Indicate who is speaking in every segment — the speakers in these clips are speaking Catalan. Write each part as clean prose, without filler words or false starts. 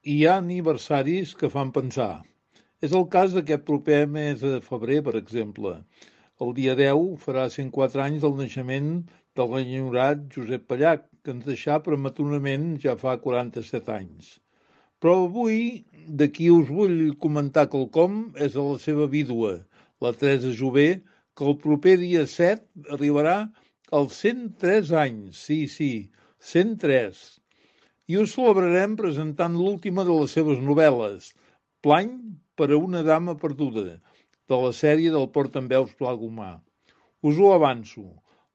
Speaker 1: hi ha aniversaris que fan pensar. És el cas d'aquest proper mes de febrer, per exemple. El dia 10 farà 104 anys del naixement de l'enyorat Josep Pallach, que ens deixà prematurament ja fa 47 anys. Però avui, de qui us vull comentar quelcom és de la seva vídua, la Teresa Jové, que el proper dia 7 arribarà als 103 anys. Sí, 103. I ho celebrarem presentant l'última de les seves novel·les, Plany per a una dama perduda, de la sèrie del Portaveus Pla Gomà. Us ho avanço.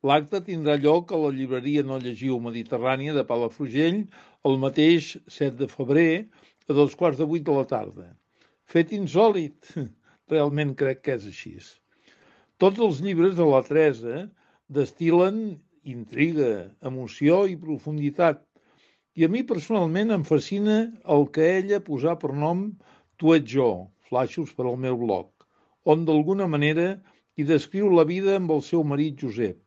Speaker 1: L'acte tindrà lloc a la llibreria No Llegiu Mediterrània de Palafrugell el mateix 7 de febrer a 2:15 de la tarda. Fet insòlit. Realment crec que és així. Tots els llibres de la Teresa destil·len intriga, emoció i profunditat. I a mi personalment em fascina el que ella posà per nom Tu ets jo, flaixos per al meu blog, on d'alguna manera hi descriu la vida amb el seu marit Josep.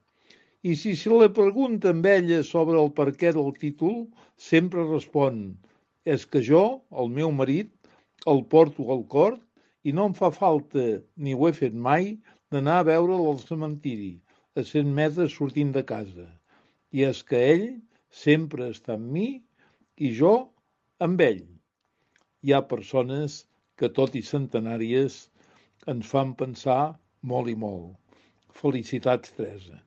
Speaker 1: I si se li pregunta amb ella sobre el perquè del títol, sempre respon: és que jo, el meu marit, el porto al cor i no em fa falta, ni ho he fet mai, d'anar a veure'l al cementiri, a 100 metres sortint de casa. I és que ell sempre està amb mi i jo amb ell. Hi ha persones que, tot i centenàries, ens fan pensar molt i molt. Felicitats, Teresa.